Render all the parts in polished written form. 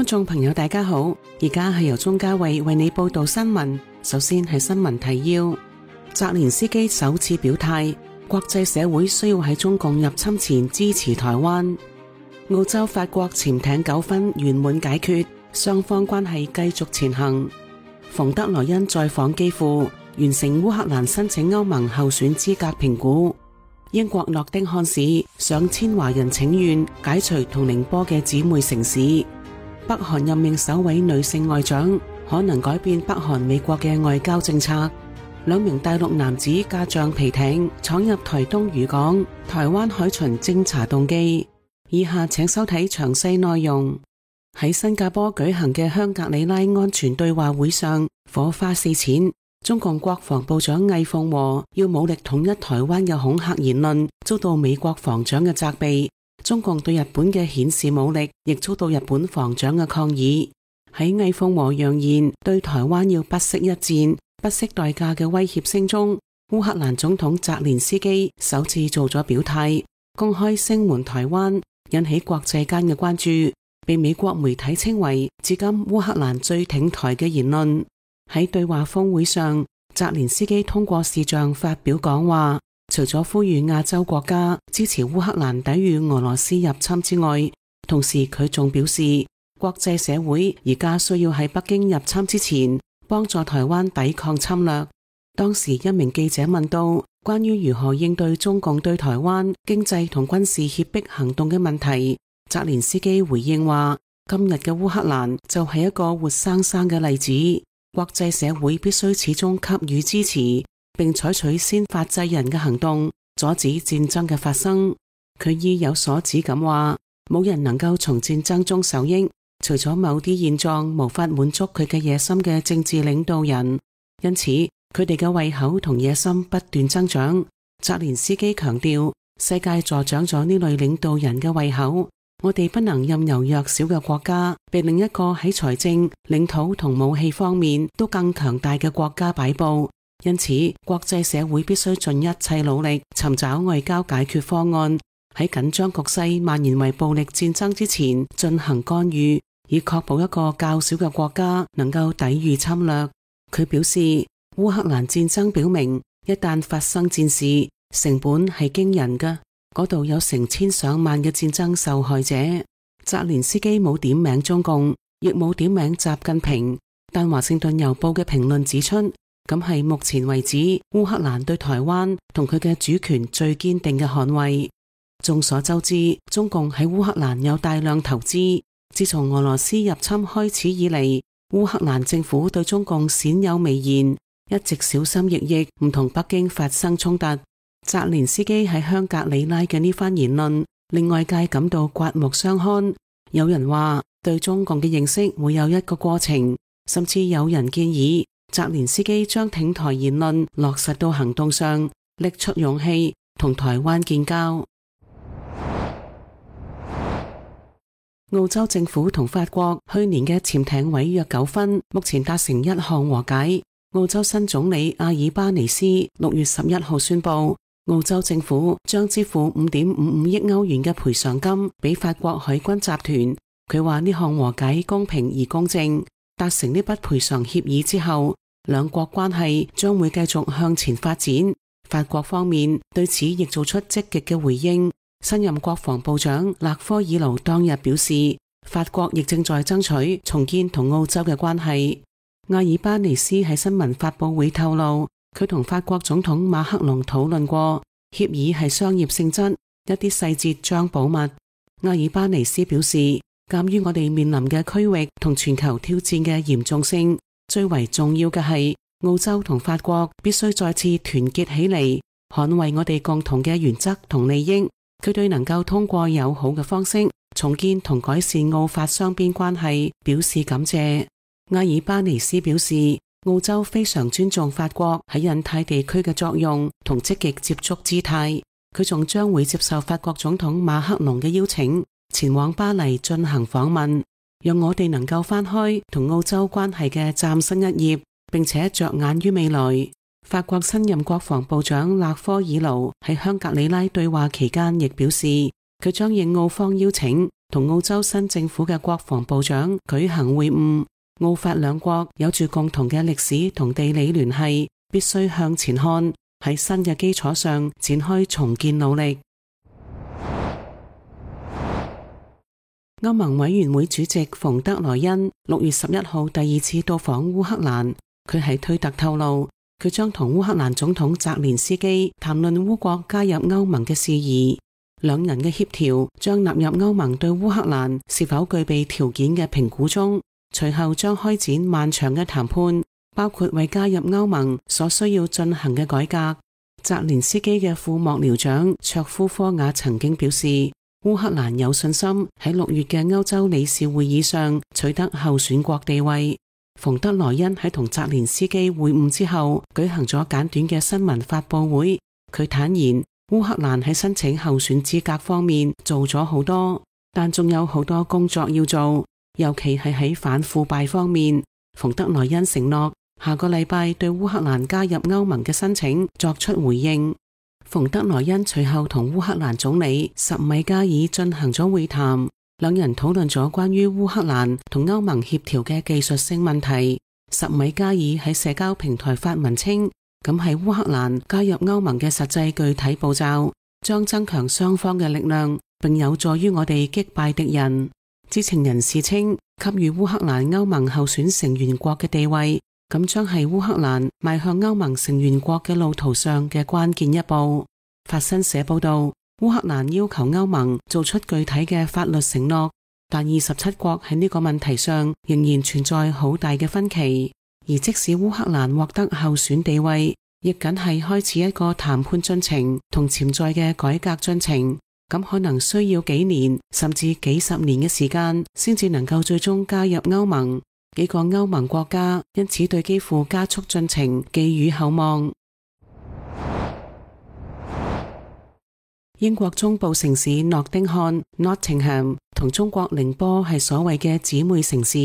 觀眾朋友大家好，而家係由鍾嘉慧為你報道新聞。首先係新聞提要：澤連斯基首次表態，國際社會需要喺中共入侵前支持台灣。澳洲法國潛艇糾紛圓滿解決，雙方關係繼續前行。馮德萊恩再訪基輔，完成烏克蘭申請歐盟候選資格評估。英國諾丁漢市上千華人請願解除同寧波嘅姊妹城市。北韓任命首位女性外長，可能改變北韓美國嘅外交政策。兩名大陸男子駕橡皮艇闖入台東漁港，台灣海巡偵查動機。以下請收睇詳細內容。喺新加坡舉行嘅香格里拉安全對話會上，火花四濺。中共國防部長魏鳳和要武力統一台灣嘅恐嚇言論遭到美國防長嘅責備。中共對日本嘅顯示武力亦遭到日本防長嘅抗議。喺魏鳳和揚言對台灣要不惜一戰、不惜代價嘅威脅聲中，烏克蘭總統澤連斯基首次做咗表態，公開聲援台灣，引起國際間嘅關注，被美國媒體稱為至今烏克蘭最挺台嘅言論。喺對話峰會上，澤連斯基通過視像發表講話，除咗呼籲亞洲國家支持烏克蘭抵禦俄羅斯入侵之外，同時佢仲表示，國際社會而家需要喺北京入侵之前幫助台灣抵抗侵略。當時一名記者問到關於如何應對中共對台灣經濟同軍事脅迫行動嘅問題，澤連斯基回應話，今日嘅烏克蘭就係一個活生生嘅例子，國際社會必須始終給予支持，並採取先發制人嘅行動，阻止戰爭嘅發生。佢意有所指咁話，冇人能夠從戰爭中受益，除咗某啲現狀無法滿足佢嘅野心嘅政治領導人，因此佢哋嘅胃口同野心不斷增長。澤連斯基強調，世界助長咗呢類領導人嘅胃口，我哋不能任由弱小嘅國家被另一個喺財政、領土同武器方面都更強大嘅國家擺布。因此，國際社會必須盡一切努力尋找外交解決方案，喺緊張局勢蔓延為暴力戰爭之前進行干預，以確保一個較小嘅國家能夠抵禦侵略。佢表示，烏克蘭戰爭表明，一旦發生戰事，成本係驚人嘅，嗰度有成千上萬嘅戰爭受害者。澤連斯基冇點名中共，亦冇點名習近平，但華盛頓郵報嘅評論指出，咁係目前為止烏克蘭對台灣同佢嘅主權最堅定嘅捍衛。眾所周知，中共喺烏克蘭有大量投資。自從俄羅斯入侵開始以嚟，烏克蘭政府對中共鮮有微言，一直小心翼翼，唔同北京發生衝突。澤連斯基喺香格里拉嘅呢番言論，令外界感到刮目相看。有人話對中共嘅認識會有一個過程，甚至有人建議澤連斯基將挺台言論落實到行動上，拎出勇氣同台灣建交。澳洲政府同法國去年嘅潛艇毀約糾紛，目前達成一項和解。澳洲新總理阿爾巴尼斯6月11號宣布，澳洲政府將支付5.55億歐元嘅賠償金俾法國海軍集團。佢話呢項和解公平而公正。達成呢筆賠償協議之後，兩國關係將會繼續向前發展。法國方面對此亦做出積極嘅回應。新任國防部長勒科爾盧當日表示，法國亦正在爭取重建同澳洲嘅關係。阿爾巴尼斯喺新聞發佈會透露，佢同法國總統馬克龍討論過，協議係商業性質，一啲細節將保密。阿爾巴尼斯表示，鑒於我哋面臨嘅區域同全球挑戰嘅嚴重性，最為重要嘅係澳洲同法國必須再次團結起嚟，捍衛我哋共同嘅原則同利益。佢對能夠通過友好嘅方式重建同改善澳法雙邊關係表示感謝。阿爾巴尼斯表示，澳洲非常尊重法國喺印太地區嘅作用同積極接觸姿態。佢仲將會接受法國總統馬克龍嘅邀請，前往巴黎進行訪問，讓我哋能夠翻開同澳洲關係嘅嶄新一頁，並且着眼於未來。法國新任國防部長勒科爾盧喺香格里拉對話期間亦表示，佢將應澳方邀請同澳洲新政府嘅國防部長舉行會晤。澳法兩國有住共同嘅歷史同地理聯繫，必須向前看，喺新嘅基礎上展開重建努力。歐盟委員會主席馮德萊恩6月11號第二次到訪烏克蘭，佢喺推特透露，佢將同烏克蘭總統澤連斯基談論烏國加入歐盟嘅事宜。兩人嘅協調將納入歐盟對烏克蘭是否具備條件嘅評估中，隨後將開展漫長嘅談判，包括為加入歐盟所需要進行嘅改革。澤連斯基嘅副幕僚長卓夫科瓦曾經表示，烏克蘭有信心喺6月嘅歐洲理事會議上取得候選國地位。馮德萊恩喺同澤連斯基會晤之後舉行咗簡短嘅新聞發佈會，佢坦言烏克蘭喺申請候選資格方面做咗好多，但仲有好多工作要做，尤其係喺反腐敗方面。馮德萊恩承諾下個禮拜對烏克蘭加入歐盟嘅申請作出回應。馮德萊恩隨後同烏克蘭總理什米加爾進行咗會談，兩人討論咗關於烏克蘭同歐盟協調嘅技術性問題。什米加爾喺社交平台發文稱，咁係烏克蘭加入歐盟嘅實際具體步驟，將增強雙方嘅力量，並有助於我哋擊敗敵人。知情人士稱，給予烏克蘭歐盟候選成員國嘅地位，咁將係烏克蘭邁向歐盟成員國嘅路途上嘅關鍵一步。法新社報道，烏克蘭要求歐盟做出具體嘅法律承諾，但27國喺呢個問題上仍然存在好大嘅分歧。而即使烏克蘭獲得候選地位，亦僅係開始一個談判進程同潛在嘅改革進程，咁可能需要幾年甚至幾十年嘅時間先至能夠最終加入歐盟。幾個歐盟國家因此對幾乎加速進程寄予厚望。英國中部城市諾丁漢 Nottingham 同中國寧波係所謂嘅姊妹城市。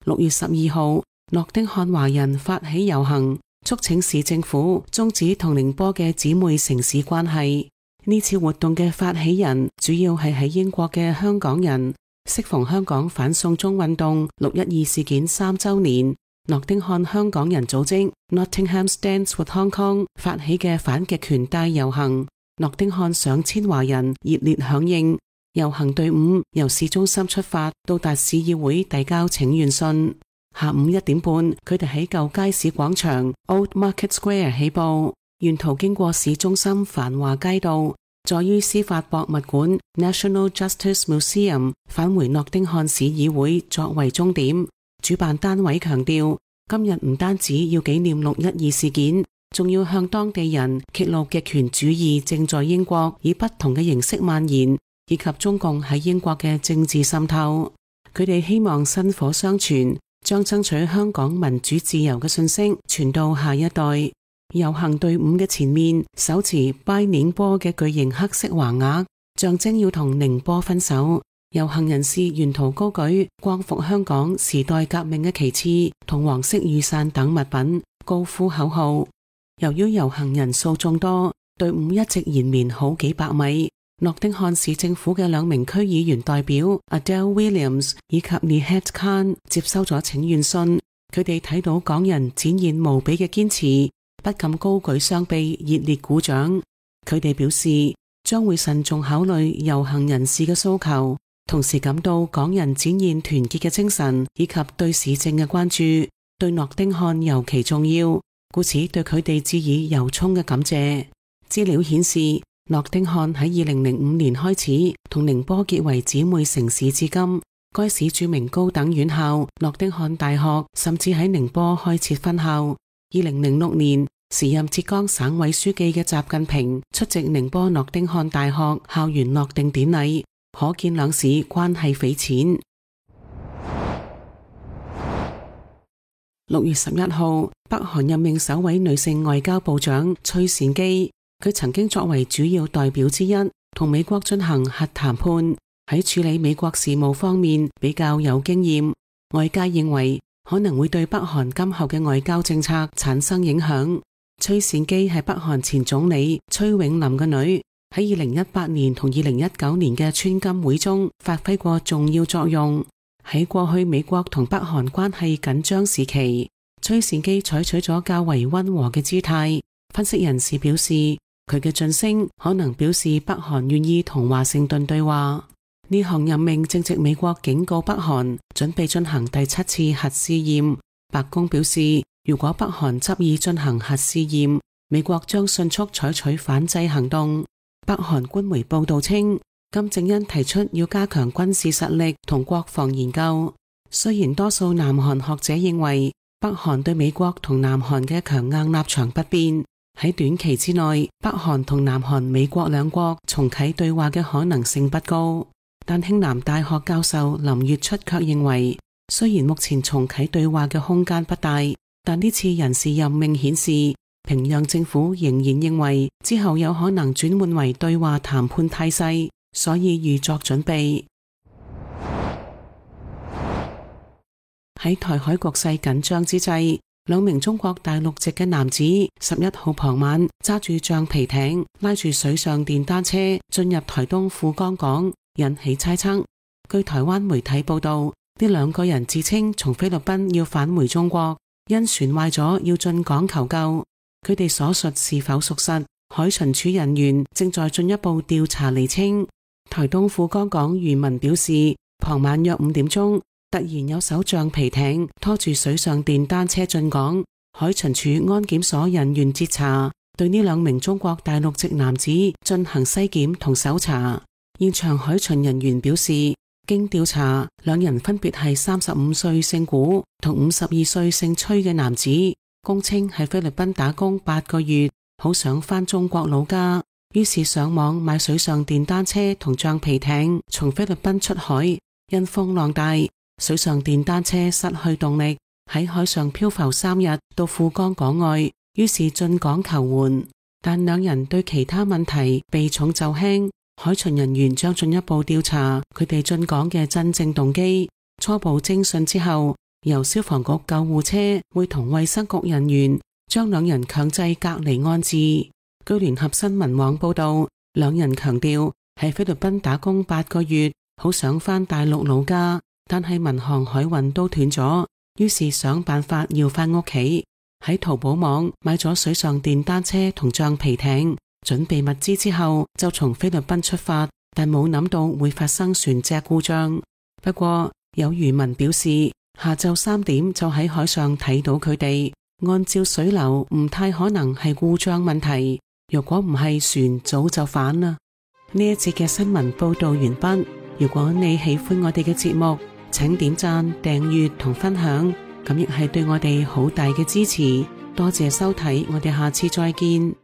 6月12號，諾丁漢華人發起遊行，促請市政府終止同寧波嘅姊妹城市關係。呢次活動嘅發起人主要係喺英國嘅香港人。適逢香港反送中運動612事件3週年，諾丁漢香港人組織 Nottingham Stands with Hong Kong 發起嘅反極權大遊行，諾丁漢上千華人熱烈響應。遊行隊伍由市中心出發，到達市議會遞交請願信。下午1點半，佢哋喺舊街市廣場 Old Market Square 起步，沿途經過市中心繁華街道，再於司法博物館 National Justice Museum 返回諾丁漢市議會作為終點。主辦單位強調，今日唔單止要紀念612事件，仲要向當地人揭露極權主義正在英國以不同嘅形式蔓延，以及中共喺英國嘅政治滲透。佢哋希望薪火相傳，將爭取香港民主自由嘅信息傳到下一代。遊行隊伍嘅前面手持拜寧波嘅巨型黑色橫額，象徵要同寧波分手。遊行人士沿途高舉光復香港時代革命嘅旗幟同黃色雨傘等物品，高呼口號。由於遊行人數眾多，隊伍一直延綿好幾百米。諾丁漢市政府嘅2名區議員代表 Adele Williams 以及 Nihat Khan 接收咗請願信，佢哋睇到港人展現無比嘅堅持，不禁高舉雙臂，熱烈鼓掌。佢哋表示將會慎重考慮遊行人士嘅訴求，同時感到港人展現團結嘅精神以及對市政嘅關注，對諾丁漢尤其重要，故此對佢哋致以由衷嘅感謝。資料顯示，諾丁漢喺2005年開始同寧波結為姊妹城市至今，該市著名高等院校諾丁漢大學甚至喺寧波開設分校。2006年，時任浙江省委書記嘅習近平出席寧波諾丁漢大學校園落定典禮，可見兩市關係匪淺。6月11號，北韓任命首位女性外交部長崔善姬，佢曾經作為主要代表之一，同美國進行核談判，喺處理美國事務方面比較有經驗。外界認為可能會對北韓今後嘅外交政策產生影響。崔善姬係北韓前總理崔永林嘅女，喺2018年同2019年嘅川金會中發揮過重要作用。喺過去美國同北韓關係緊張時期，崔善基採取咗較為溫和嘅姿態。分析人士表示，佢嘅晉升可能表示北韓願意同華盛頓對話。呢項任命正值美國警告北韓準備進行第7次核試驗。白宮表示，如果北韓執意進行核試驗，美國將迅速採取反制行動。北韓官媒報道稱，金正恩提出要加強軍事實力同國防研究。雖然多數南韓學者認為北韓對美國同南韓嘅強硬立場不變，喺短期之內，北韓同南韓美國兩國重啟對話嘅可能性不高。但慶南大學教授林月出卻認為，雖然目前重啟對話嘅空間不大，但呢次人事任命顯示，平壤政府仍然認為之後有可能轉換為對話談判態勢，所以預作準備。喺台海局勢緊張之際，兩名中國大陸籍嘅男子11號傍晚揸住橡皮艇，拉住水上電單車進入台東富岡港，引起猜測。據台灣媒體報道，呢兩個人自稱從菲律賓要返回中國，因船壞咗要進港求救。佢哋所述是否屬實，海巡署人員正在進一步調查釐清。台東富岡港漁民表示，傍晚約5點鐘，突然有艘橡皮艇拖住水上電單車進港，海巡署安檢所人員截查，對呢兩名中國大陸籍男子進行篩檢同搜查。現場海巡人員表示，經調查，兩人分別係35歲姓古同52歲姓崔嘅男子，供稱喺菲律賓打工8個月，好想返中國老家，於是上網買水上電單車同橡皮艇，從菲律賓出海。因風浪大，水上電單車失去動力，喺海上漂浮3日到富岡港外，於是進港求援。但兩人對其他問題避重就輕，海巡人員將進一步調查佢哋進港嘅真正動機。初步偵訊之後，由消防局救護車會同衛生局人員將兩人強制隔離安置。據聯合新聞網報道，兩人強調喺菲律賓打工8個月，好想返大陸老家，但係民航海運都斷咗，於是想辦法要返屋企。喺淘寶網買咗水上電單車同橡皮艇，準備物資之後就從菲律賓出發，但冇諗到會發生船隻故障。不過有漁民表示，下晝3點就喺海上睇到佢哋，按照水流唔太可能係故障問題，若果唔係船早就返啦。呢一節嘅新聞報道完畢。如果你喜歡我哋嘅節目，請點讚、訂閱同分享，咁亦係對我哋好大嘅支持。多謝收睇，我哋下次再見。